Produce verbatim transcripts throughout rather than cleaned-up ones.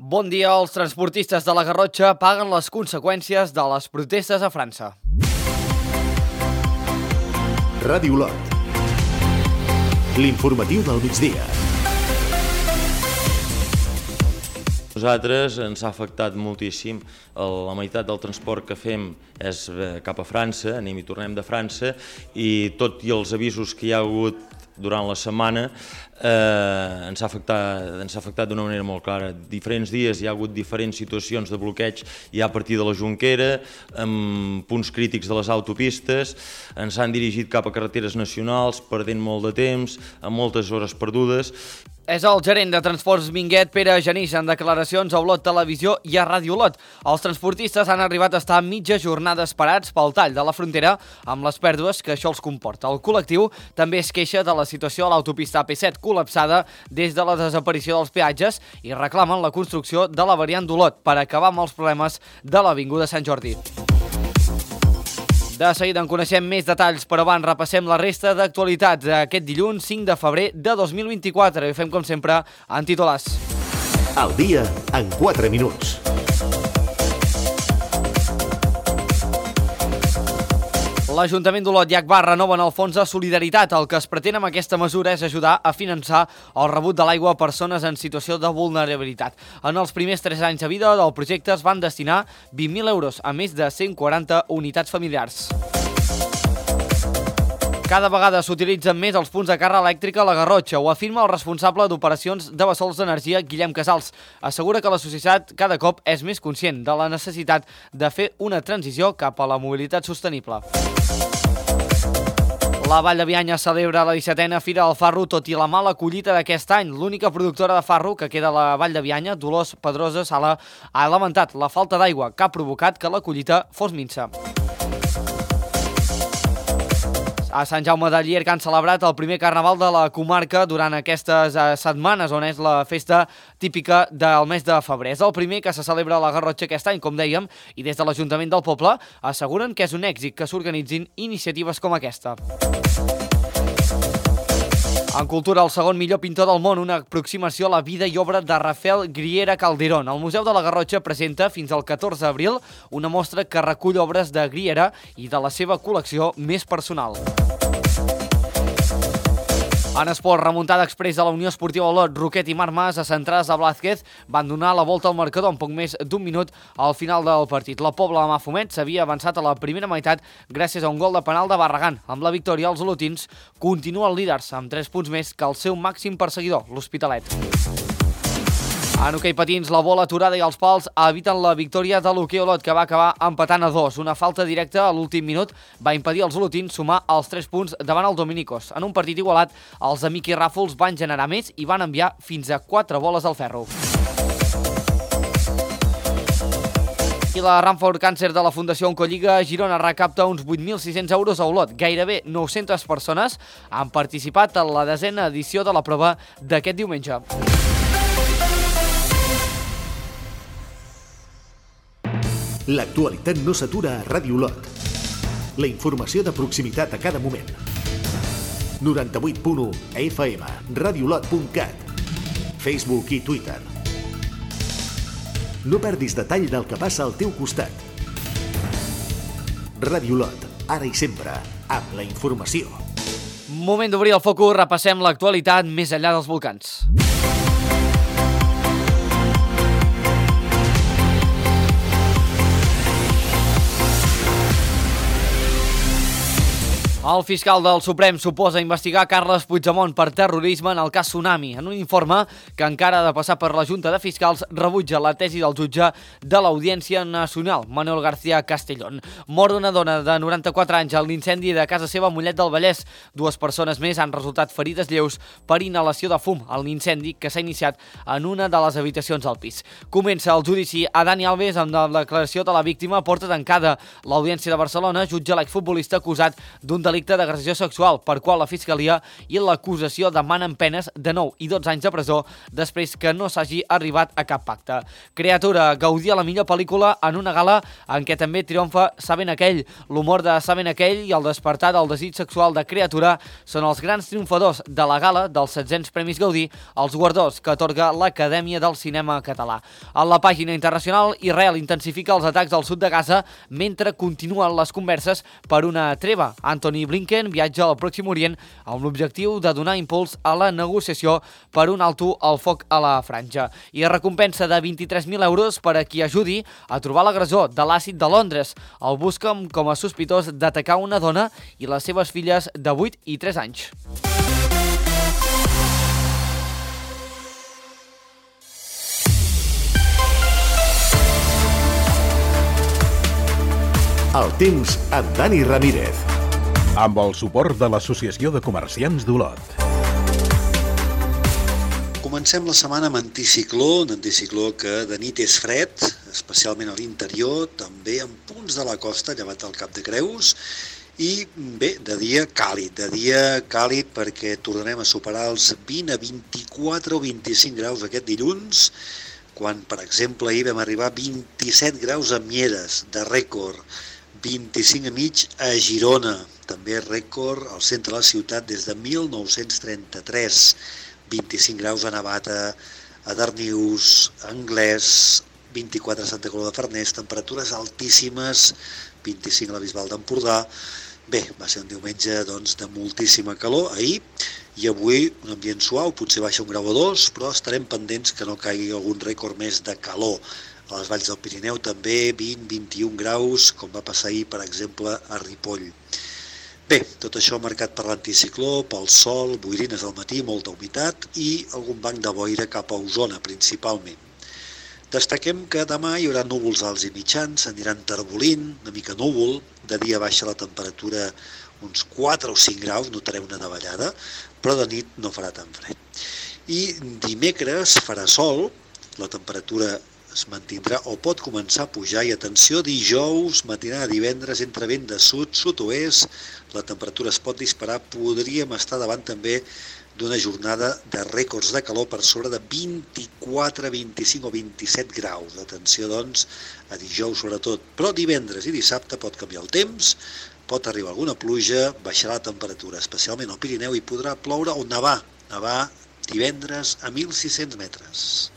Bon dia. Els transportistes de la Garrotxa paguen les conseqüències de les protestes a França. Ràdio Lot. L'informatiu del migdia. Nosaltres ens ha afectat moltíssim. La meitat del transport que fem és cap a França, anem i tornem de França, i tot i els avisos que hi ha hagut durant la setmana eh, ens ha afectat, ens ha afectat d'una manera molt clara. Diferents dies hi ha hagut diferents situacions de bloqueig, ja a partir de la Jonquera, amb punts crítics de les autopistes, ens han dirigit cap a carreteres nacionals, perdent molt de temps, amb moltes hores perdudes. És el gerent de Transports Minguet, Pere Genís, en declaracions a Olot Televisió i a Ràdio Olot. Els transportistes han arribat a estar mitja jornada esperats pel tall de la frontera amb les pèrdues que això els comporta. El col·lectiu també es queixa de la situació a l'autopista A P set col·lapsada des de la desaparició dels peatges i reclamen la construcció de la variant d'Olot per acabar amb els problemes de l'Avinguda Sant Jordi. De seguida en coneixem més detalls, però abans repassem la resta d'actualitats d'aquest dilluns cinc de febrer de dos mil vint-i-quatre i ho fem com sempre en titulars. Al dia en quatre minuts. L'Ajuntament d'Olot i Agbar renoven el fons de solidaritat. El que es pretén amb aquesta mesura és ajudar a finançar el rebut de l'aigua a persones en situació de vulnerabilitat. En els primers tres anys de vida del projecte es van destinar vint mil euros a més de cent quaranta unitats familiars. Cada vegada s'utilitzen més els punts de càrrega elèctrica a la Garrotxa, ho afirma el responsable d'operacions de Bessols d'Energia, Guillem Casals. Assegura que la societat cada cop és més conscient de la necessitat de fer una transició cap a la mobilitat sostenible. La Vall de Bianya celebra la dissetena Fira del Farro, tot i la mala collita d'aquest any. L'única productora de farro que queda a la Vall de Bianya, Dolors Pedrosa Sala, ha lamentat la falta d'aigua que ha provocat que la collita fos minsa. A Sant Jaume de Llierca han celebrat el primer carnaval de la comarca durant aquestes setmanes, on és la festa típica del mes de febrer. És el primer que se celebra a la Garrotxa aquest any, com dèiem, i des de l'Ajuntament del poble asseguren que és un èxit que s'organitzin iniciatives com aquesta. En cultura, el segon millor pintor del món, una aproximació a la vida i obra de Rafael Griera Calderón. El Museu de la Garrotxa presenta fins al catorze d'abril una mostra que recull obres de Griera i de la seva col·lecció més personal. En esport, remuntada exprés de la Unió Esportiva Olot, Roquet i Marc Mas, centrades a Blázquez, van donar la volta al marcador en poc més d'un minut al final del partit. La Pobla de Mafumet s'havia avançat a la primera meitat gràcies a un gol de penal de Barragán. Amb la victòria, els olotins continuen líders amb tres punts més que el seu màxim perseguidor, l'Hospitalet. En hoquei patins, la bola aturada i els pals eviten la victòria de l'Hoquei Olot, que va acabar empatant a dos. Una falta directa a l'últim minut va impedir als olotins sumar els tres punts davant el Dominicos. En un partit igualat, els de Miqui Ràfols van generar més i van enviar fins a quatre boles al ferro. I la Run for Cancer de la Fundació Oncolliga a Girona recapta uns vuit mil sis-cents euros a Olot. Gairebé nou-centes persones han participat en la desena edició de la prova d'aquest diumenge. L'actualitat no s'atura a Ràdio Lot. La informació de proximitat a cada moment. noranta-vuit punt u F M, radiolot punt cat, Facebook i Twitter. No perdis detall del que passa al teu costat. Ràdio Lot, ara i sempre, amb la informació. Moment d'obrir el focus, repassem l'actualitat més enllà dels volcans. El fiscal del Suprem suposa investigar Carles Puigdemont per terrorisme en el cas Tsunami. En un informe que encara ha de passar per la Junta de Fiscals, rebutja la tesi del jutge de l'Audiència Nacional, Manuel García Castellón. Mor d'una dona de noranta-quatre anys a l'incendi de casa seva a Mollet del Vallès. Dues persones més han resultat ferides lleus per inhalació de fum a l'incendi que s'ha iniciat en una de les habitacions del pis. Comença el judici a Dani Alves amb la declaració de la víctima a porta tancada. L'Audiència de Barcelona jutja l'exfutbolista acusat d'un delicte delicte d'agressió sexual, per qual la Fiscalia i l'acusació demanen penes de nou i dotze anys de presó després que no s'hagi arribat a cap pacte. Creatura gaudia la millor pel·lícula en una gala en què també triomfa Saben aquell. L'humor de Saben aquell i el despertar del desig sexual de Creatura són els grans triomfadors de la gala dels setzents Premis Gaudí, els guardons que atorga l'Acadèmia del Cinema Català. A la pàgina internacional, Israel intensifica els atacs al sud de Gaza mentre continuen les converses per una treva. Antony Blinken viatja al Pròxim Orient amb l'objectiu de donar impuls a la negociació per un alto al foc a la franja. I recompensa de vint-i-tres mil euros per a qui ajudi a trobar l'agressor de l'àcid de Londres. El busquen com a sospitós d'atacar una dona i les seves filles de vuit i tres anys. El temps amb Dani Ramírez. Amb el suport de l'Associació de Comerciants d'Olot. Comencem la setmana amb anticicló, un anticicló que de nit és fred, especialment a l'interior, també en punts de la costa, llevat al Cap de Creus, i bé, de dia càlid, de dia càlid perquè tornarem a superar els vint a vint-i-quatre o vint-i-cinc graus aquest dilluns, quan, per exemple, ahir vam arribar a vint-i-set graus a Mieres, de rècord, vint-i-cinc a mig a Girona, també rècord al centre de la ciutat des de mil nou-cents trenta-tres, vint-i-cinc graus a Navata, a Darnius, a Anglès, vint-i-quatre a Santa Coloma de Farners, temperatures altíssimes, vint-i-cinc a la Bisbal d'Empordà. Bé, va ser un diumenge doncs, de moltíssima calor ahir, i avui un ambient suau, potser baixa un grau o dos, però estarem pendents que no caigui algun rècord més de calor. A les valls del Pirineu també vint a vint-i-un graus, com va passar ahir, per exemple, a Ripoll. Bé, tot això marcat per l'anticicló, pel sol, boirines al matí, molta humitat i algun banc de boira cap a Osona, principalment. Destaquem que demà hi haurà núvols alts i mitjans, aniran terbolint, una mica núvol, de dia baixa la temperatura uns quatre o cinc graus, notareu una davallada, però de nit no farà tan fred. I dimecres farà sol, la temperatura es mantindrà o pot començar a pujar, i atenció, dijous, matinada, divendres, entre vent de sud, sud-oest, la temperatura es pot disparar, podríem estar davant també d'una jornada de rècords de calor per sobre de vint-i-quatre, vint-i-cinc o vint-i-set graus. Atenció, doncs, a dijous sobretot, però divendres i dissabte pot canviar el temps, pot arribar alguna pluja, baixarà la temperatura, especialment al Pirineu, i podrà ploure o nevar, nevar divendres a mil sis-cents metres.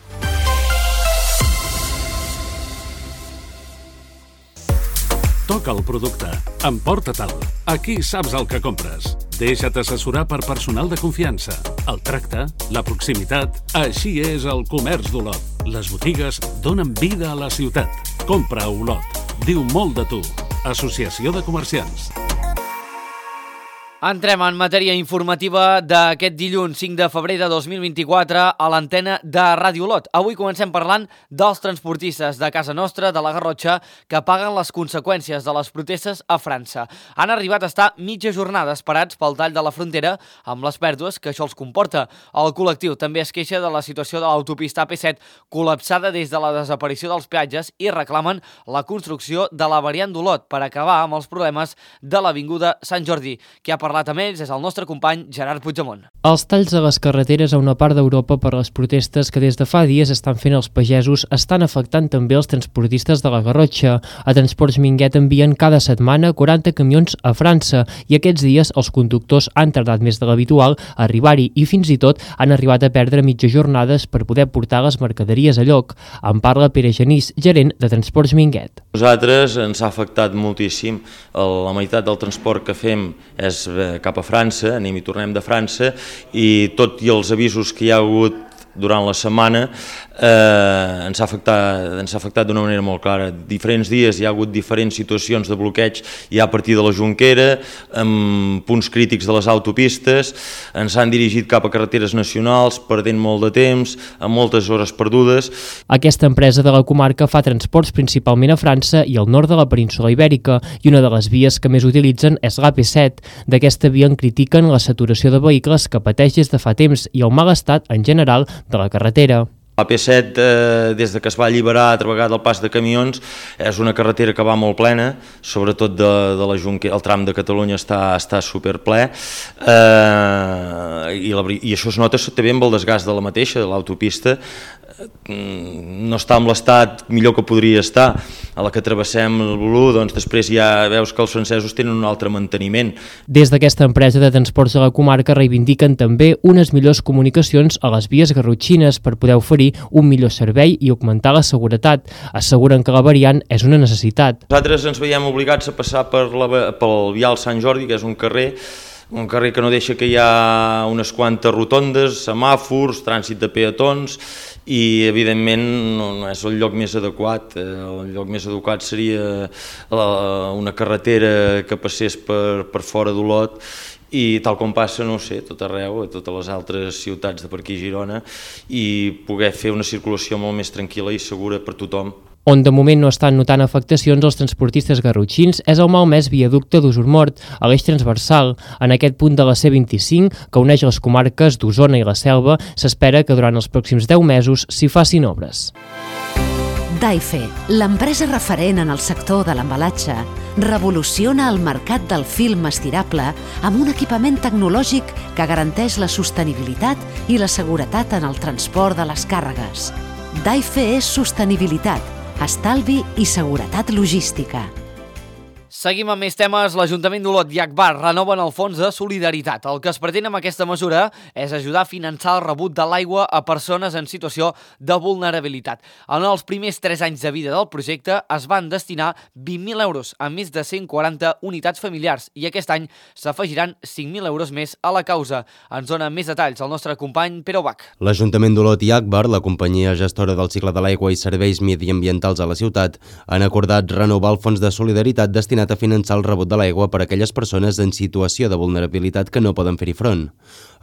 Toca el producte. Emporta-te'l. Aquí saps el que compres. Deixa't assessorar per personal de confiança. El tracte, la proximitat... Així és el comerç d'Olot. Les botigues donen vida a la ciutat. Compra a Olot. Diu molt de tu. Associació de Comerciants. Entrem en matèria informativa d'aquest dilluns cinc de febrer de dos mil vint-i-quatre a l'antena de Ràdio Olot. Avui comencem parlant dels transportistes de casa nostra, de la Garrotxa, que paguen les conseqüències de les protestes a França. Han arribat a estar mitja jornada esperats pel tall de la frontera amb les pèrdues que això els comporta. El col·lectiu també es queixa de la situació de l'autopista A P set col·lapsada des de la desaparició dels peatges i reclamen la construcció de la variant d'Olot per acabar amb els problemes de l'avinguda Sant Jordi. Qui ha parlat amb ells és el nostre company Gerard Puigdemont. Els talls a les carreteres a una part d'Europa per les protestes que des de fa dies estan fent els pagesos estan afectant també els transportistes de la Garrotxa. A Transports Minguet envien cada setmana quaranta camions a França i aquests dies els conductors han tardat més de l'habitual a arribar-hi i fins i tot han arribat a perdre mitja jornades per poder portar les mercaderies a lloc. En parla Pere Genís, gerent de Transports Minguet. Nosaltres ens ha afectat moltíssim. La meitat del transport que fem és cap a França, anem i tornem de França, i tot i els avisos que hi ha hagut durant la setmana eh, ens ha afectat, ens ha afectat d'una manera molt clara. Diferents dies hi ha hagut diferents situacions de bloqueig, ja a partir de la Jonquera, amb punts crítics de les autopistes, ens han dirigit cap a carreteres nacionals, perdent molt de temps, amb moltes hores perdudes. Aquesta empresa de la comarca fa transports principalment a França i al nord de la península Ibèrica, i una de les vies que més utilitzen és l'A P set. D'aquesta via en critiquen la saturació de vehicles que pateix des de fa temps i el mal estat en general de la carretera. La A P set, eh, des de que es va alliberar altra vegada el pas de camions, és una carretera que va molt plena, sobretot de, de la Junquera, el tram de Catalunya està, està superple, eh, i, la, i això es nota també amb el desgast de la mateixa, de l'autopista, no està en l'estat millor que podria estar. A la que travessem el Bolú, doncs després ja veus que els francesos tenen un altre manteniment. Des d'aquesta empresa de transports de la comarca reivindiquen també unes millors comunicacions a les vies garrotxines per poder oferir un millor servei i augmentar la seguretat. Asseguren que la variant és una necessitat. Nosaltres ens veiem obligats a passar per la, pel Vial Sant Jordi, que és un carrer un carrer que no deixa que hi ha unes quantes rotondes, semàfors, trànsit de peatons, i evidentment no, no és el lloc més adequat. El lloc més adequat seria la, una carretera que passés per, per fora d'Olot, i tal com passa, no ho sé, tot arreu, a totes les altres ciutats de per aquí a Girona, i poder fer una circulació molt més tranquil·la i segura per tothom. On de moment no estan notant afectacions els transportistes garrotxins és el malmès viaducte d'Usurmort, a l'eix transversal. En aquest punt de la C vint-i-cinc, que uneix les comarques d'Osona i la Selva, s'espera que durant els pròxims deu mesos s'hi facin obres. Daife, l'empresa referent en el sector de l'embalatge, revoluciona el mercat del film estirable amb un equipament tecnològic que garanteix la sostenibilitat i la seguretat en el transport de les càrregues. Daife és sostenibilitat, estalvi i seguretat logística. Seguim amb més temes. L'Ajuntament d'Olot i Agbar renoven el fons de solidaritat. El que es pretén amb aquesta mesura és ajudar a finançar el rebut de l'aigua a persones en situació de vulnerabilitat. En els primers tres anys de vida del projecte es van destinar vint mil euros a més de cent quaranta unitats familiars i aquest any s'afegiran cinc mil euros més a la causa. Ens dona més detalls el nostre company Pere Ubach. L'Ajuntament d'Olot i Agbar, la companyia gestora del cicle de l'aigua i serveis mediambientals a la ciutat, han acordat renovar el fons de solidaritat destinat a finançar el rebut de l'aigua per a aquelles persones en situació de vulnerabilitat que no poden fer-hi front.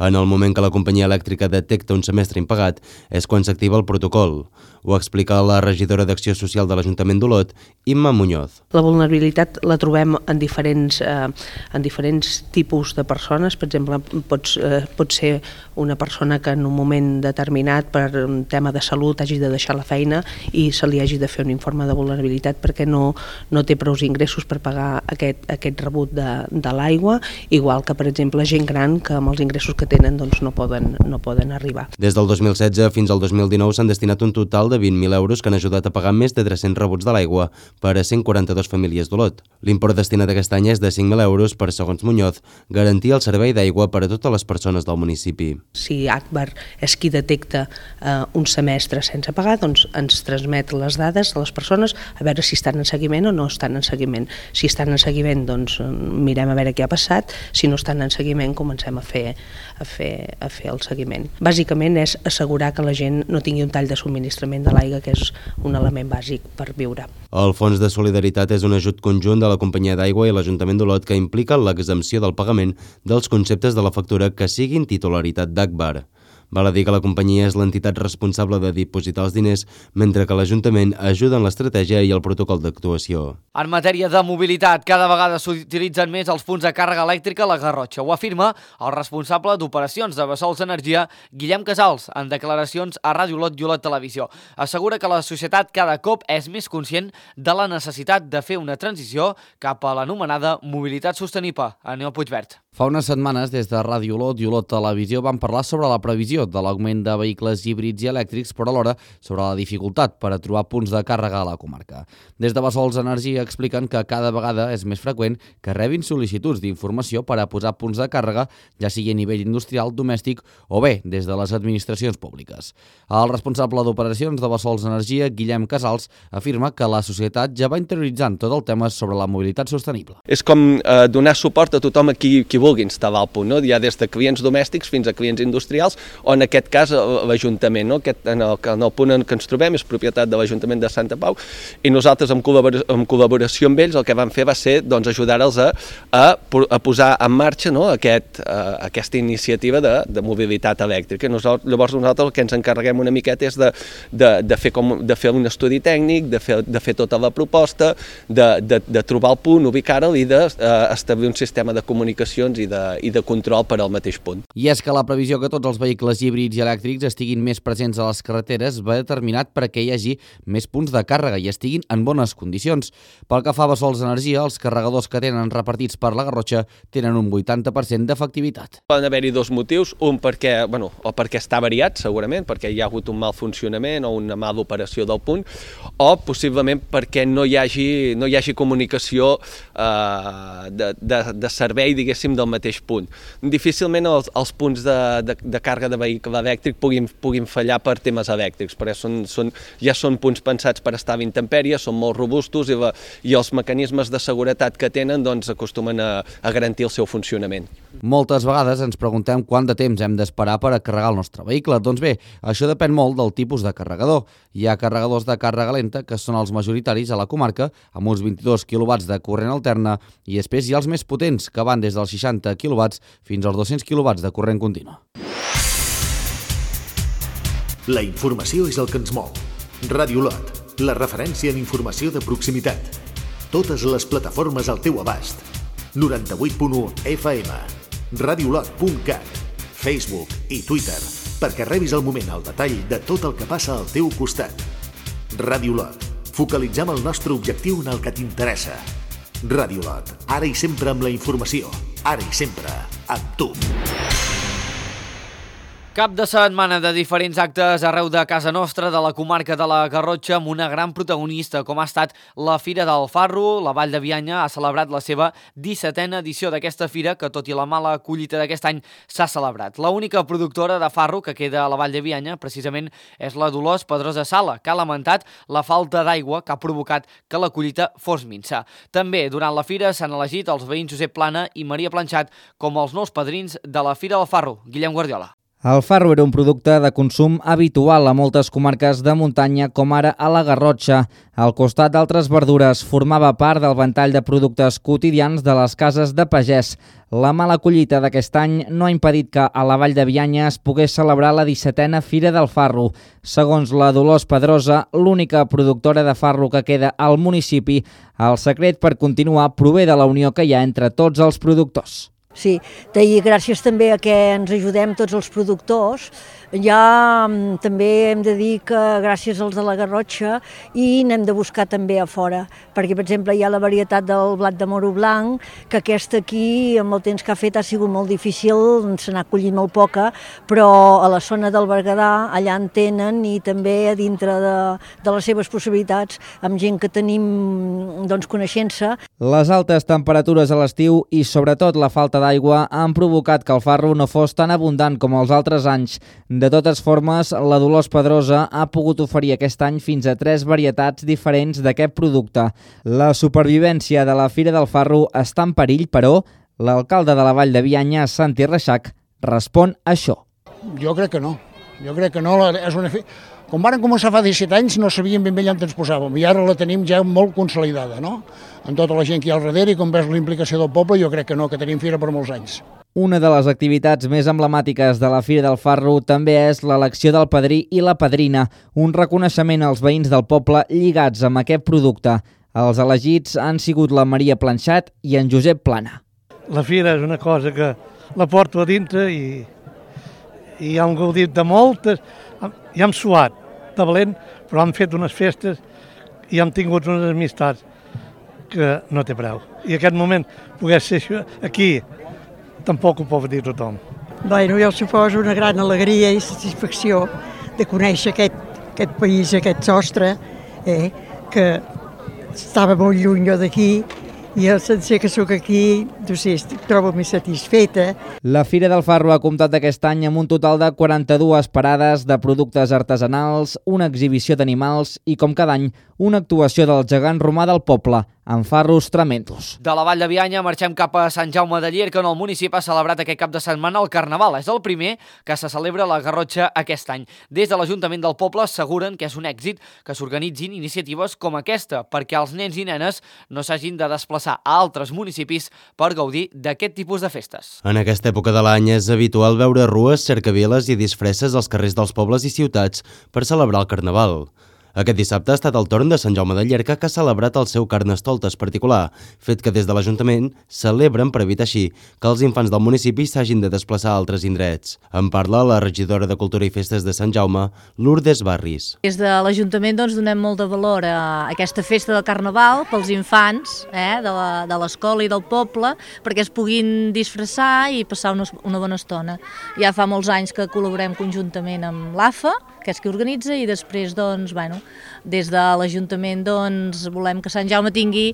En el moment que la companyia elèctrica detecta un semestre impagat és quan s'activa el protocol. Ho explica la regidora d'Acció Social de l'Ajuntament d'Olot, Imma Muñoz. La vulnerabilitat la trobem en diferents, eh, en diferents tipus de persones. Per exemple, pot, eh, pot ser una persona que en un moment determinat per un tema de salut hagi de deixar la feina i se li hagi de fer un informe de vulnerabilitat perquè no, no té prous ingressos per pagar aquest, aquest rebut de, de l'aigua, igual que, per exemple, gent gran que amb els ingressos que tenen doncs, no, poden, no poden arribar. Des del dos mil setze fins al dos mil dinou s'han destinat un total de vint mil euros que han ajudat a pagar més de tres-cents rebuts de l'aigua per a cent quaranta-dues famílies d'Olot. L'import destinat aquest any és de cinc mil euros per, segons Muñoz, garantir el servei d'aigua per a totes les persones del municipi. Si Agbar és qui detecta eh, un semestre sense pagar, doncs ens transmet les dades a les persones a veure si estan en seguiment o no estan en seguiment. Si estan en seguiment, doncs mirem a veure què ha passat. Si no estan en seguiment, comencem a fer, a fer, a fer el seguiment. Bàsicament és assegurar que la gent no tingui un tall de subministrament de l'aigua, que és un element bàsic per viure. El Fons de Solidaritat és un ajut conjunt de la companyia d'aigua i l'Ajuntament d'Olot que implica l'exempció del pagament dels conceptes de la factura que siguin titularitat d'Agbar. Val a dir que la companyia és l'entitat responsable de dipositar els diners, mentre que l'Ajuntament ajuda en l'estratègia i el protocol d'actuació. En matèria de mobilitat, cada vegada s'utilitzen més els punts de càrrega elèctrica a la Garrotxa. Ho afirma el responsable d'operacions de Bessols Energia, Guillem Casals, en declaracions a Ràdio Olot i Olot Televisió. Assegura que la societat cada cop és més conscient de la necessitat de fer una transició cap a l'anomenada mobilitat sostenible. Aneu Puigverd. Fa unes setmanes, des de Ràdio Olot i Olot Televisió, van parlar sobre la previsió de l'augment de vehicles híbrids i elèctrics, però alhora sobre la dificultat per a trobar punts de càrrega a la comarca. Des de Bessols Energia expliquen que cada vegada és més freqüent que rebin sol·licituds d'informació per a posar punts de càrrega, ja sigui a nivell industrial, domèstic o bé des de les administracions públiques. El responsable d'operacions de Bessols Energia, Guillem Casals, afirma que la societat ja va interioritzant tot el tema sobre la mobilitat sostenible. És com eh, donar suport a tothom a qui, qui vulgui instal·lar el punt, no? Ja des de clients domèstics fins a clients industrials, o en aquest cas l'Ajuntament, no? Aquest, en, el, en el punt en què ens trobem és propietat de l'Ajuntament de Santa Pau, i nosaltres en col·laboració, en col·laboració amb ells el que vam fer va ser doncs, ajudar-los a, a, a posar en marxa, no? Aquest, a, aquesta iniciativa de, de mobilitat elèctrica. Nosaltres, llavors nosaltres el que ens encarreguem una miqueta és de, de, de, fer, com, de fer un estudi tècnic, de fer, de fer tota la proposta, de, de, de trobar el punt, ubicar-lo i d'establir un sistema de comunicació inspeccions i de, i de control per al mateix punt. I és que la previsió que tots els vehicles híbrids i elèctrics estiguin més presents a les carreteres va determinat perquè hi hagi més punts de càrrega i estiguin en bones condicions. Pel que fa a Bessols Energia, els carregadors que tenen repartits per la Garrotxa tenen un vuitanta per cent d'efectivitat. Poden haver-hi dos motius, un perquè, bueno, o perquè està variat segurament, perquè hi ha hagut un mal funcionament o una mala operació del punt, o possiblement perquè no hi hagi, no hi hagi comunicació eh, de, de, de servei, diguéssim, del mateix punt. Difícilment els, els punts de, de, de càrrega de vehicle elèctric puguin, puguin fallar per temes elèctrics, perquè són, són, ja són punts pensats per estar a intempèrie, són molt robustos i, la, i els mecanismes de seguretat que tenen doncs, acostumen a, a garantir el seu funcionament. Moltes vegades ens preguntem quant de temps hem d'esperar per a carregar el nostre vehicle. Doncs bé, això depèn molt del tipus de carregador. Hi ha carregadors de càrrega lenta, que són els majoritaris a la comarca, amb uns vint-i-dos quilowatts de corrent alterna, i després hi ha els més potents, que van des dels seixanta quilowatts fins als dos-cents quilowatts de corrent continu. La informació és el que ens mou. Ràdio Lot, la referència en informació de proximitat. Totes les plataformes al teu abast. noranta-vuit punt u F M, radiolot punt cat, Facebook i Twitter, perquè rebis al moment el detall de tot el que passa al teu costat. Ràdio Lot, focalitzem el nostre objectiu en el que t'interessa. Ràdio Lot, ara i sempre amb la informació, ara i sempre amb tu. Cap de setmana de diferents actes arreu de casa nostra, de la comarca de la Garrotxa, amb una gran protagonista, com ha estat la Fira del Farro. La Vall de Bianya ha celebrat la seva dissetena edició d'aquesta fira, que tot i la mala collita d'aquest any s'ha celebrat. L'única productora de farro que queda a la Vall de Bianya, precisament, és la Dolors Pedrosa Sala, que ha lamentat la falta d'aigua que ha provocat que la collita fos minsa. També, durant la fira, s'han elegit els veïns Josep Plana i Maria Planxat com els nous padrins de la Fira del Farro. Guillem Guardiola. El farro era un producte de consum habitual a moltes comarques de muntanya, com ara a la Garrotxa. Al costat d'altres verdures, formava part del ventall de productes quotidians de les cases de pagès. La mala collita d'aquest any no ha impedit que a la Vall de Bianya es pogués celebrar la dissetena Fira del Farro. Segons la Dolors Pedrosa, l'única productora de farro que queda al municipi, el secret per continuar prové de la unió que hi ha entre tots els productors. Sí, i gràcies també a que ens ajudem tots els productors, ja també hem de dir que gràcies als de la Garrotxa i n'hem de buscar també a fora, perquè per exemple hi ha la varietat del blat de moro blanc, que aquesta aquí amb el temps que ha fet ha sigut molt difícil, se n'ha collit molt poca, però a la zona del Berguedà allà en tenen i també a dintre de, de les seves possibilitats amb gent que tenim doncs, coneixença. Les altes temperatures a l'estiu i sobretot la falta d'aigua han provocat que el farro no fos tan abundant com els altres anys. De totes formes, la Dolors Pedrosa ha pogut oferir aquest any fins a tres varietats diferents d'aquest producte. La supervivència de la Fira del Farro està en perill, però l'alcalde de la Vall de Bianya, Santi Reixac, respon a això. Jo crec que no. Jo crec que no. És una fi... Com varen començar fa disset anys no sabíem ben bé on ens posàvem i ara la tenim ja molt consolidada, no? Amb tota la gent que hi ha al darrere i com ves la implicació del poble, jo crec que no, que tenim fira per molts anys. Una de les activitats més emblemàtiques de la Fira del Farro també és l'elecció del padrí i la padrina, un reconeixement als veïns del poble lligats amb aquest producte. Els elegits han sigut la Maria Planxat i en Josep Plana. La fira és una cosa que la porto a dintre i, i hem gaudit de moltes, i hem suat de valent, però hem fet unes festes i hem tingut unes amistats que no té preu. I aquest moment pogués ser aquí, tampoc ho pot dir tothom. Bueno, jo suposo una gran alegria i satisfacció de conèixer aquest, aquest país, aquest sostre, eh, que estava molt lluny jo d'aquí, i el sencer que sóc aquí, no sé, estic, trobo més satisfeta. La Fira del Farro ha comptat aquest any amb un total de quaranta-dues parades de productes artesanals, una exhibició d'animals i, com cada any, una actuació del gegant romà del poble, amb farros tremendos. De la Vall de Bianya marxem cap a Sant Jaume de Llierca, on el municipi ha celebrat aquest cap de setmana el Carnaval. És el primer que se celebra a la Garrotxa aquest any. Des de l'Ajuntament del poble asseguren que és un èxit que s'organitzin iniciatives com aquesta, perquè els nens i nenes no s'hagin de desplaçar a altres municipis per gaudir d'aquest tipus de festes. En aquesta època de l'any és habitual veure rues, cercaviles i disfresses als carrers dels pobles i ciutats per celebrar el Carnaval. Aquest dissabte ha estat el torn de Sant Jaume de Llierca, que ha celebrat el seu Carnestoltes particular, fet que des de l'Ajuntament celebren per evitar així que els infants del municipi s'hagin de desplaçar a altres indrets. En parla la regidora de Cultura i Festes de Sant Jaume, Lourdes Barris. Des de l'Ajuntament doncs, donem molt de valor a aquesta festa del Carnaval pels infants eh, de l'escola i del poble, perquè es puguin disfressar i passar una, una bona estona. Ja fa molts anys que col·laborem conjuntament amb l'A F A, que és qui organitza, i després, doncs, bueno, des de l'Ajuntament doncs, volem que Sant Jaume tingui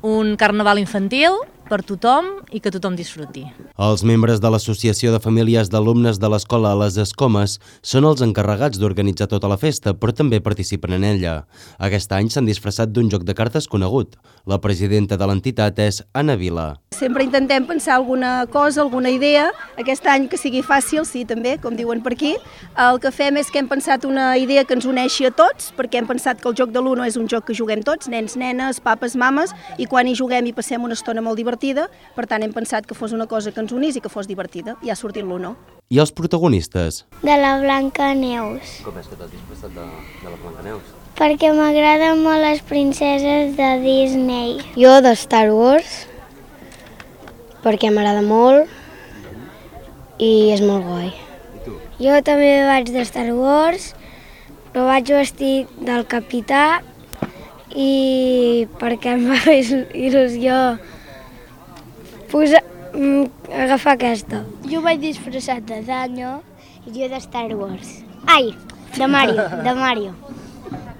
un carnaval infantil per tothom i que tothom disfruti. Els membres de l'Associació de Famílies d'Alumnes de l'Escola Les Escomes són els encarregats d'organitzar tota la festa, però també participen en ella. Aquest any s'han disfressat d'un joc de cartes conegut. La presidenta de l'entitat és Anna Vila. Sempre intentem pensar alguna cosa, alguna idea. Aquest any que sigui fàcil, sí, també, com diuen per aquí. El que fem és que hem pensat una idea que ens uneixi a tots, perquè hem pensat que el joc de l'Uno és un joc que juguem tots, nens, nenes, papes, mames, i quan hi juguem hi passem una estona molt divertida. Per tant, hem pensat que fos una cosa que ens unís i que fos divertida. I ha sortit l'Uno. I els protagonistes? De la Blancaneus. Com és que t'has disfressat de, de la Blancaneus? Perquè m'agraden molt les princeses de Disney. Jo de Star Wars, perquè m'agrada molt i és molt guai. Jo també vaig de Star Wars, però vaig vestit del capità i perquè em va fer il·lusió posar, agafar aquesta. Jo vaig disfressat de Danyo i jo de Star Wars. Ai, de Mario, de Mario.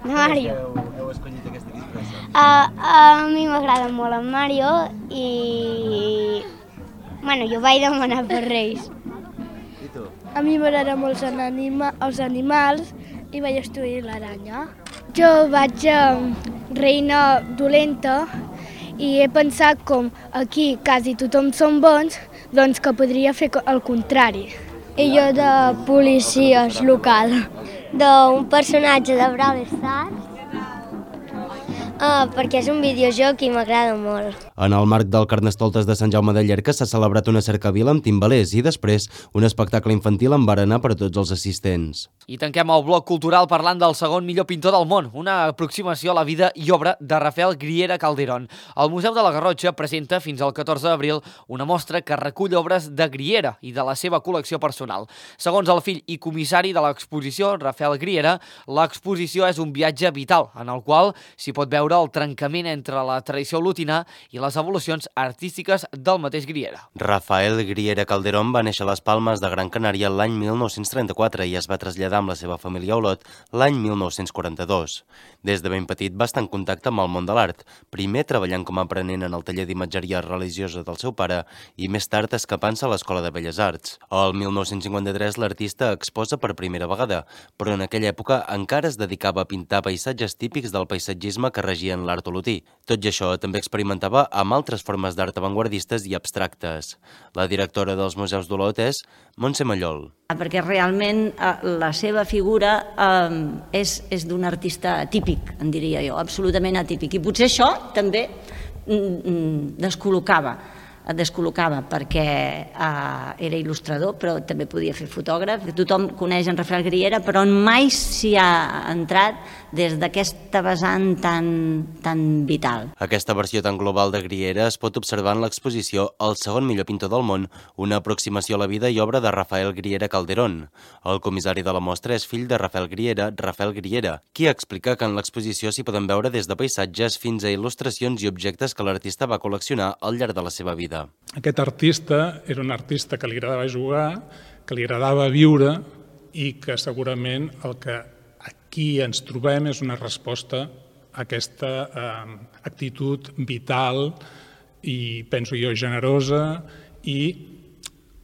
De Mario. Heu escollit aquesta disfressa? Uh, a mi m'agrada molt en Mario i... Bueno, jo vaig demanar per Reis. I tu? A mi m'agrada molt els, anima, els animals i vaig estudiar l'aranya. Jo vaig a reina dolenta i he pensat com aquí quasi tothom són bons, doncs que podria fer el contrari. I jo de policies local. D'un personatge de Brawl Stars, uh, perquè és un videojoc i m'agrada molt. En el marc del Carnestoltes de Sant Jaume de Llierca s'ha celebrat una cercavila amb timbalers i després un espectacle infantil amb berenar per a tots els assistents. I tanquem el bloc cultural parlant del segon millor pintor del món, una aproximació a la vida i obra de Rafael Griera Calderón. El Museu de la Garrotxa presenta fins al catorze d'abril una mostra que recull obres de Griera i de la seva col·lecció personal. Segons el fill i comissari de l'exposició, Rafael Griera, l'exposició és un viatge vital en el qual s'hi pot veure el trencament entre la tradició olotina i les evolucions artístiques del mateix Griera. Rafael Griera Calderón va néixer a les Palmes de Gran Canària l'any mil nou-cents trenta-quatre i es va traslladar amb la seva família a Olot l'any mil nou-cents quaranta-dos. Des de ben petit va estar en contacte amb el món de l'art, primer treballant com a aprenent en el taller d'imatgeria religiosa del seu pare i més tard escapant-se a l'Escola de Belles Arts. El mil nou-cents cinquanta-tres l'artista exposa per primera vegada, però en aquella època encara es dedicava a pintar paisatges típics del paisatgisme que regien l'art olotí. Tot i això, també experimentava amb altres formes d'art avantguardistes i abstractes. La directora dels Museus d'Olot és Montse Mallol. Perquè realment eh, la seva figura eh, és, és d'un artista atípic, en diria jo, absolutament atípic. I potser això també mm, descol·locava, descol·locava perquè eh, era il·lustrador, però també podia fer fotògraf. Tothom coneix en Rafael Griera, però mai s'hi ha entrat des d'aquesta vessant tan, tan vital. Aquesta versió tan global de Griera es pot observar en l'exposició El segon millor pintor del món, una aproximació a la vida i obra de Rafael Griera Calderón. El comissari de la mostra és fill de Rafael Griera, Rafael Griera, qui explica que en l'exposició s'hi poden veure des de paisatges fins a il·lustracions i objectes que l'artista va col·leccionar al llarg de la seva vida. Aquest artista era un artista que li agradava jugar, que li agradava viure i que segurament el que aquí ens trobem és una resposta a aquesta eh, actitud vital i, penso jo, generosa i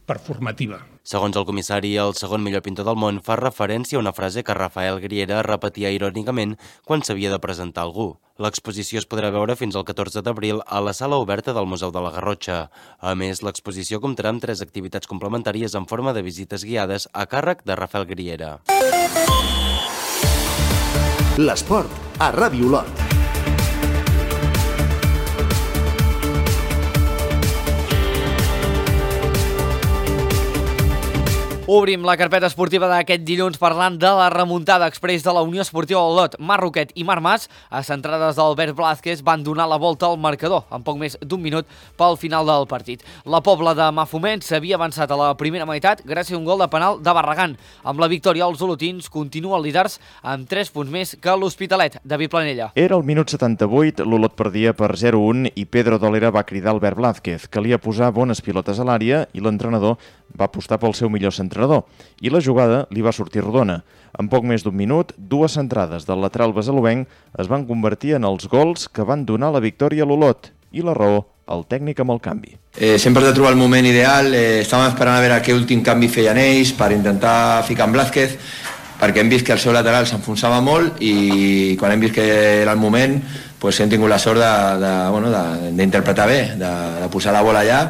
performativa. Segons el comissari, el segon millor pintor del món fa referència a una frase que Rafael Griera repetia irònicament quan s'havia de presentar algú. L'exposició es podrà veure fins al catorze d'abril a la sala oberta del Museu de la Garrotxa. A més, l'exposició comptarà amb tres activitats complementàries en forma de visites guiades a càrrec de Rafael Griera. L'esport a Ràdio Olot. Obrim la carpeta esportiva d'aquest dilluns parlant de la remuntada express de la Unió Esportiva Olot. Marc Roquet i Marc Mas, a centrades d'Albert Blázquez, van donar la volta al marcador en poc més d'un minut pel final del partit. La Pobla de Mafumet s'havia avançat a la primera meitat gràcies a un gol de penal de Barragán. Amb la victòria, els olotins continuen líders amb tres punts més que l'Hospitalet. David Planella. Era el minut setanta-vuit, l'Olot perdia per zero a un i Pedro Dolera va cridar Albert Blázquez. Calia posar bones pilotes a l'àrea i l'entrenador va apostar pel seu millor centrador. I la jugada li va sortir rodona. En poc més d'un minut, dues centrades del lateral besaluenc es van convertir en els gols que van donar la victòria a l'Olot. I la raó, el tècnic amb el canvi. Eh, sempre has de trobar el moment ideal. Eh, estàvem esperant a veure què últim canvi feien ells per intentar ficar en Blázquez, perquè hem vist que el seu lateral s'enfonsava molt i quan hem vist que era el moment pues hem tingut la sort d'interpretar bé, de, de posar la bola allà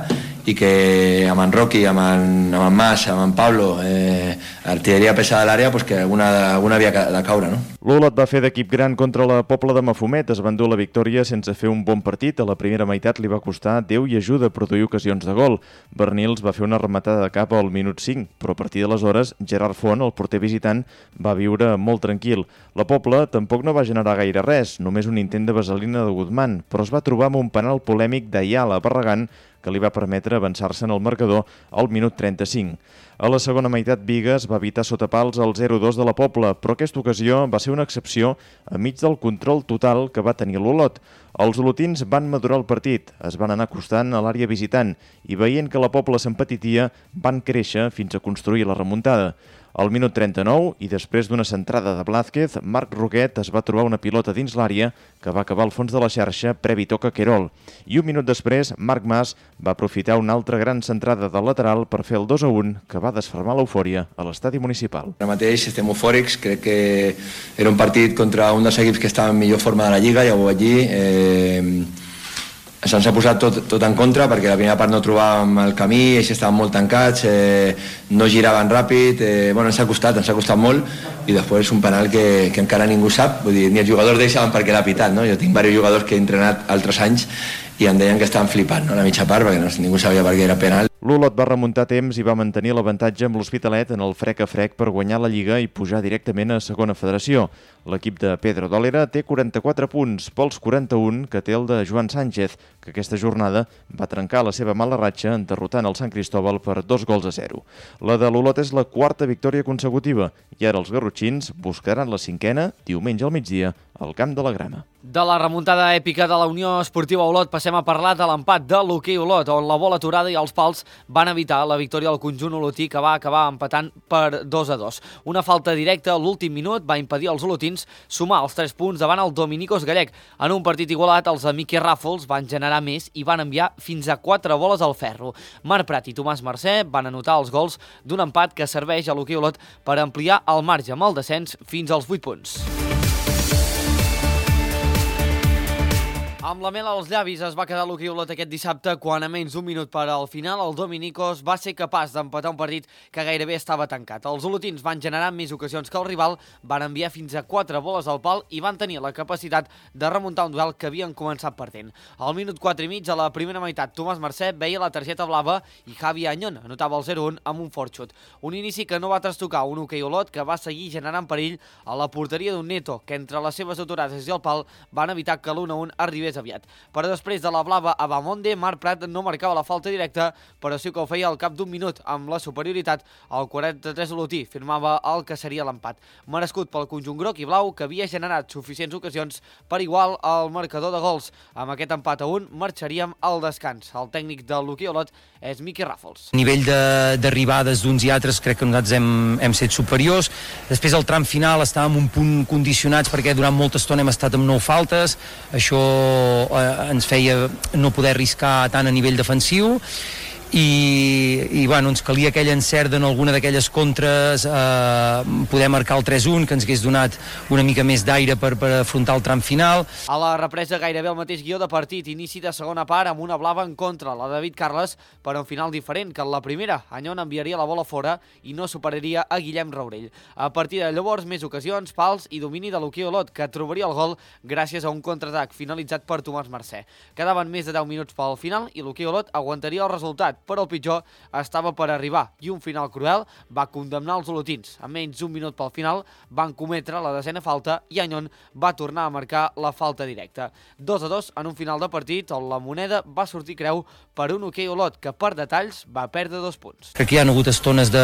i que amb en Roqui, amb en, amb en Mas, amb en Pablo, eh, artilleria pesada a l'àrea, pues que alguna, alguna havia de caure, no? L'Olot va fer d'equip gran contra la Pobla de Mafumet, es va endur la victòria sense fer un bon partit. A la primera meitat li va costar Déu i ajuda a produir ocasions de gol. Bernils va fer una rematada de cap al minut cinc, però a partir d'aleshores Gerard Font, el porter visitant, va viure molt tranquil. La Pobla tampoc no va generar gaire res, només un intent de vaselina de Guzmán, però es va trobar amb un penal polèmic d'Ayala a Barragán que li va permetre avançar-se en el marcador al minut trenta-cinc. A la segona meitat, Bigues va evitar sota pals el zero a dos de la Pobla, però aquesta ocasió va ser una excepció enmig del control total que va tenir l'Olot. Els olotins van madurar el partit, es van anar acostant a l'àrea visitant i veient que la Pobla s'empetitia, van créixer fins a construir la remuntada. Al minut trenta-nou, i després d'una centrada de Blázquez, Marc Roquet es va trobar una pilota dins l'àrea que va acabar al fons de la xarxa previ toc a Querol. I un minut després, Marc Mas va aprofitar una altra gran centrada del lateral per fer el dos a un, que va desfermar l'eufòria a l'estadi municipal. Ara mateix estem eufòrics, crec que era un partit contra un dels equips que estava en millor forma de la Lliga, ja ho vaig dir. Eh, Se'ns ha posat tot, tot en contra perquè la primera part no trobàvem el camí, ells estaven molt tancats, eh, no giraven ràpid, eh, bueno, ens ha costat, ens ha costat molt i després un penal que, que encara ningú sap, vull dir, ni els jugadors d'ells saben per què l'ha pitat, no? Jo tinc diversos jugadors que he entrenat altres anys i em deien que estaven flipant, no? La mitja part perquè no, ningú sabia per què era penal. L'Olot va remuntar temps i va mantenir l'avantatge amb l'Hospitalet en el frec a frec per guanyar la Lliga i pujar directament a segona federació. L'equip de Pedro Dolera té quaranta-quatre punts, pels quaranta-un que té el de Joan Sánchez, que aquesta jornada va trencar la seva mala ratxa en derrotant el Sant Cristóbal per dos gols a zero. La de l'Olot és la quarta victòria consecutiva i ara els garrotxins buscaran la cinquena diumenge al migdia al Camp de la Grama. De la remuntada èpica de la Unió Esportiva Olot passem a parlar de l'empat de l'hoquei Olot, on la bola aturada i els pals van evitar la victòria del conjunt olotí, que va acabar empatant per dos a dos. Una falta directa a l'últim minut va impedir als olotins sumar els tres punts davant el Dominicos Gallec. En un partit igualat, els Miqui Ràfols van generar més i van enviar fins a quatre boles al ferro. Marc Prat i Tomàs Mercè van anotar els gols d'un empat que serveix a l'hoquei Olot per ampliar el marge amb el descens fins als vuit punts. Amb la mel als llavis es va quedar l'hoquei Olot aquest dissabte quan a menys d'un minut per al final el Dominicos va ser capaç d'empatar un partit que gairebé estava tancat. Els olotins van generar més ocasions que el rival, van enviar fins a quatre boles al pal i van tenir la capacitat de remuntar un duel que havien començat perdent. Al minut quatre i mig, a la primera meitat, Tomàs Mercè veia la targeta blava i Javi Añón anotava el zero a un amb un fort xut. Un inici que no va trastocar un hoquei Olot que va seguir generant perill a la porteria d'un Neto, que entre les seves aturades i el pal van evitar que l'un a un arribés aviat. Però després de la blava a Bamonde, Marc Prat no marcava la falta directa, però sí que ho feia al cap d'un minut. Amb la superioritat, el quaranta-tres olotí firmava el que seria l'empat. Merescut pel conjunt groc i blau, que havia generat suficients ocasions per igual al marcador de gols. Amb aquest empat a un, marxaríem al descans. El tècnic de l'hoquei Olot és Miqui Ràfols. A nivell d'arribades d'uns i altres crec que nosaltres hem, hem set superiors. Després al tram final estàvem un punt condicionats perquè durant molta estona hem estat amb nou faltes. Això eh, ens feia no poder arriscar tant a nivell defensiu i, i bueno, ens calia aquell encert en alguna d'aquelles contres, eh, poder marcar el tres un, que ens hagués donat una mica més d'aire per, per afrontar el tram final. A la represa gairebé el mateix guió de partit, inici de segona part amb una blava en contra, la de David Carles, per un final diferent que en la primera. Añón enviaria la bola fora i no superaria a Guillem Raurell. A partir de llavors, més ocasions, pals i domini de l'hoquei Olot, que trobaria el gol gràcies a un contraatac finalitzat per Tomàs Mercè. Quedaven més de deu minuts pel final i l'hoquei Olot aguantaria el resultat. empat, però el pitjor estava per arribar i un final cruel va condemnar els olotins. A menys d'un minut pel final van cometre la desena falta i Añón va tornar a marcar la falta directa. dos a dos en un final de partit on la moneda va sortir creu per un hoquei Olot que per detalls va perdre dos punts. Crec que hi ha hagut estones de,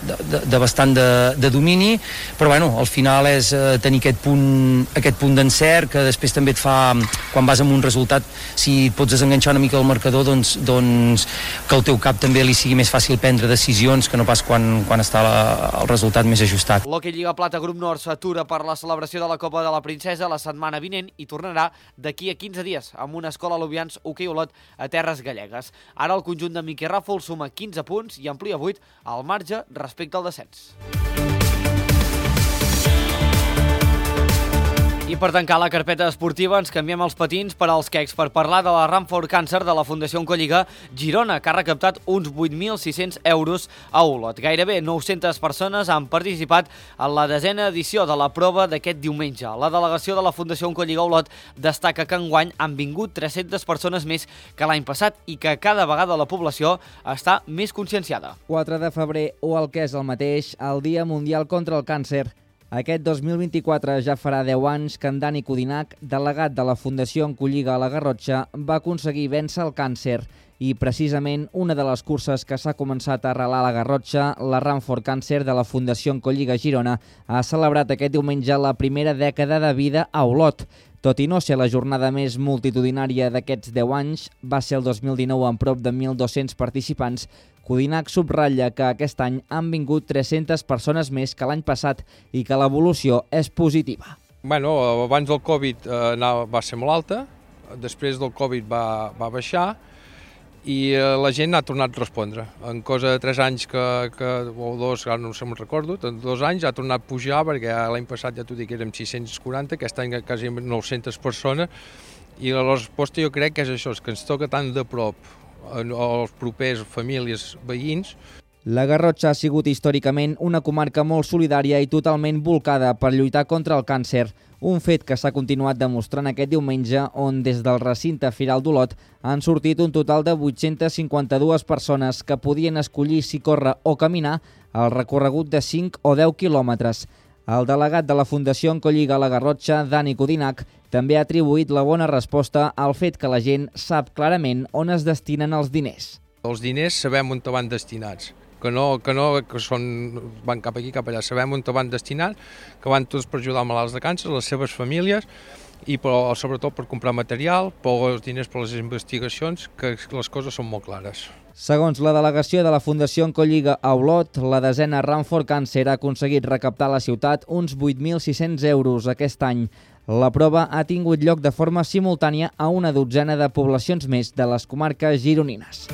de, de bastant de, de domini, però bueno, al final és eh, tenir aquest punt, aquest punt d'encert que després també et fa, quan vas amb un resultat, si et pots desenganxar una mica del marcador, doncs, doncs que al teu cap també li sigui més fàcil prendre decisions que no pas quan, quan està la, el resultat més ajustat. L'Hockey Lliga Plata Grup Nord s'atura per la celebració de la Copa de la Princesa la setmana vinent i tornarà d'aquí a quinze dies amb una escola Lubians Hockey Olot a terres gallegues. Ara el conjunt de Miquel Ràfol suma quinze punts i amplia vuit al marge respecte al descens. I per tancar la carpeta esportiva ens canviem els patins per als quecs per parlar de la Run for Cancer de la Fundació Oncolliga Girona, que ha recaptat uns vuit mil sis-cents euros a Olot. Gairebé nou-centes persones han participat en la desena edició de la prova d'aquest diumenge. La delegació de la Fundació Oncolliga Olot destaca que enguany han vingut tres-centes persones més que l'any passat i que cada vegada la població està més conscienciada. quatre de febrer o el que és el mateix, el Dia Mundial contra el Càncer. Aquest dos mil vint-i-quatre ja farà deu anys que en Dani Codinac, delegat de la Fundació Oncolliga a la Garrotxa, va aconseguir vèncer el càncer i precisament una de les curses que s'ha començat a arrelar a la Garrotxa, la Run for Cancer de la Fundació Oncolliga Girona, ha celebrat aquest diumenge la primera dècada de vida a Olot. Tot i no ser la jornada més multitudinària d'aquests deu anys, va ser el dos mil dinou amb prop de mil dos-cents participants. Codinac subratlla que aquest any han vingut tres-centes persones més que l'any passat i que l'evolució és positiva. Bueno, abans del Covid eh, anava, va ser molt alta, després del Covid va, va baixar i eh, la gent ha tornat a respondre. En cosa de tres anys que, que, o dos, ara no sé, me'n recordo, en dos anys ha tornat a pujar perquè l'any passat ja t'ho dic que érem sis-cents quaranta, aquest any quasi nou-centes persones i la resposta jo crec que és això, és que ens toca tan de prop als propers famílies, veïns. La Garrotxa ha sigut històricament una comarca molt solidària i totalment volcada per lluitar contra el càncer, un fet que s'ha continuat demostrant aquest diumenge on des del recinte Firal d'Olot han sortit un total de vuit-centes cinquanta-dues persones que podien escollir si córrer o caminar el recorregut de cinc o deu quilòmetres. El delegat de la Fundació Oncolliga a la Garrotxa, Dani Codinac, també ha atribuït la bona resposta al fet que la gent sap clarament on es destinen els diners. Els diners sabem on van destinats, que no, que no que són, van cap aquí, cap allà, sabem on van destinats, que van tots per ajudar malalts de càncer, les seves famílies, i però, sobretot per comprar material, per els diners per les investigacions, que les coses són molt clares. Segons la delegació de la Fundació Oncolliga a Olot, la desena Run for Cancer ha aconseguit recaptar a la ciutat uns vuit mil sis-cents euros aquest any. La prova ha tingut lloc de forma simultània a una dotzena de poblacions més de les comarques gironines.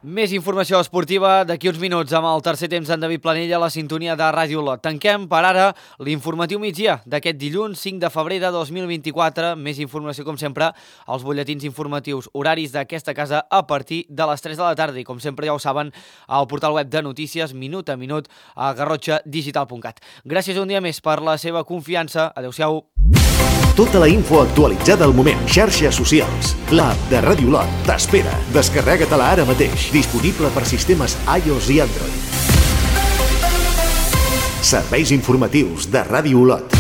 Més informació esportiva d'aquí uns minuts amb el tercer temps d'en David Planella a la sintonia de Ràdio Olot. Tanquem per ara l'informatiu migdia d'aquest dilluns cinc de febrer de dos mil vint-i-quatre. Més informació, com sempre, als butlletins informatius horaris d'aquesta casa a partir de les tres de la tarda. I com sempre ja ho saben, al portal web de notícies minut a minut a garrotxa digital punt cat. Gràcies un dia més per la seva confiança. Adéu-siau. Tota la info actualitzada al moment. Xarxes socials. L'app de Ràdio Olot t'espera. Descarrega-te-la ara mateix. Disponible per sistemes iOS i Android. Serveis informatius de Ràdio Olot.